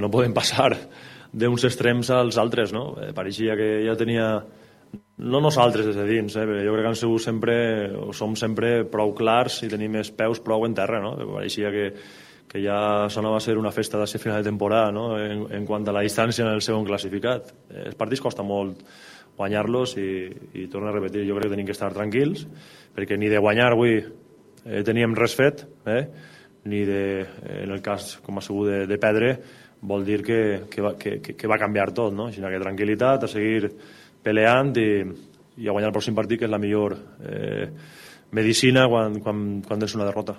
No podem passar d'uns extrems als altres, no? Pareixia que ja tenia... No nosaltres des de dins, però jo crec que han sigut sempre, o som sempre prou clars i tenim els peus prou en terra, no? Pareixia que ja sonava a ser una festa de ser final de temporada, no? En quant a la distància en el segon classificat. Els partits costa molt guanyar-los i torno a repetir, jo crec que tenim que estar tranquils, perquè ni de guanyar avui teníem res fet, ni de, en el cas com ha sigut de perdre, vol dir que va canviar tot, no? Així que tranquil·litat, a seguir peleant i a guanyar el pròxim partit, que és la millor medicina quan és una derrota.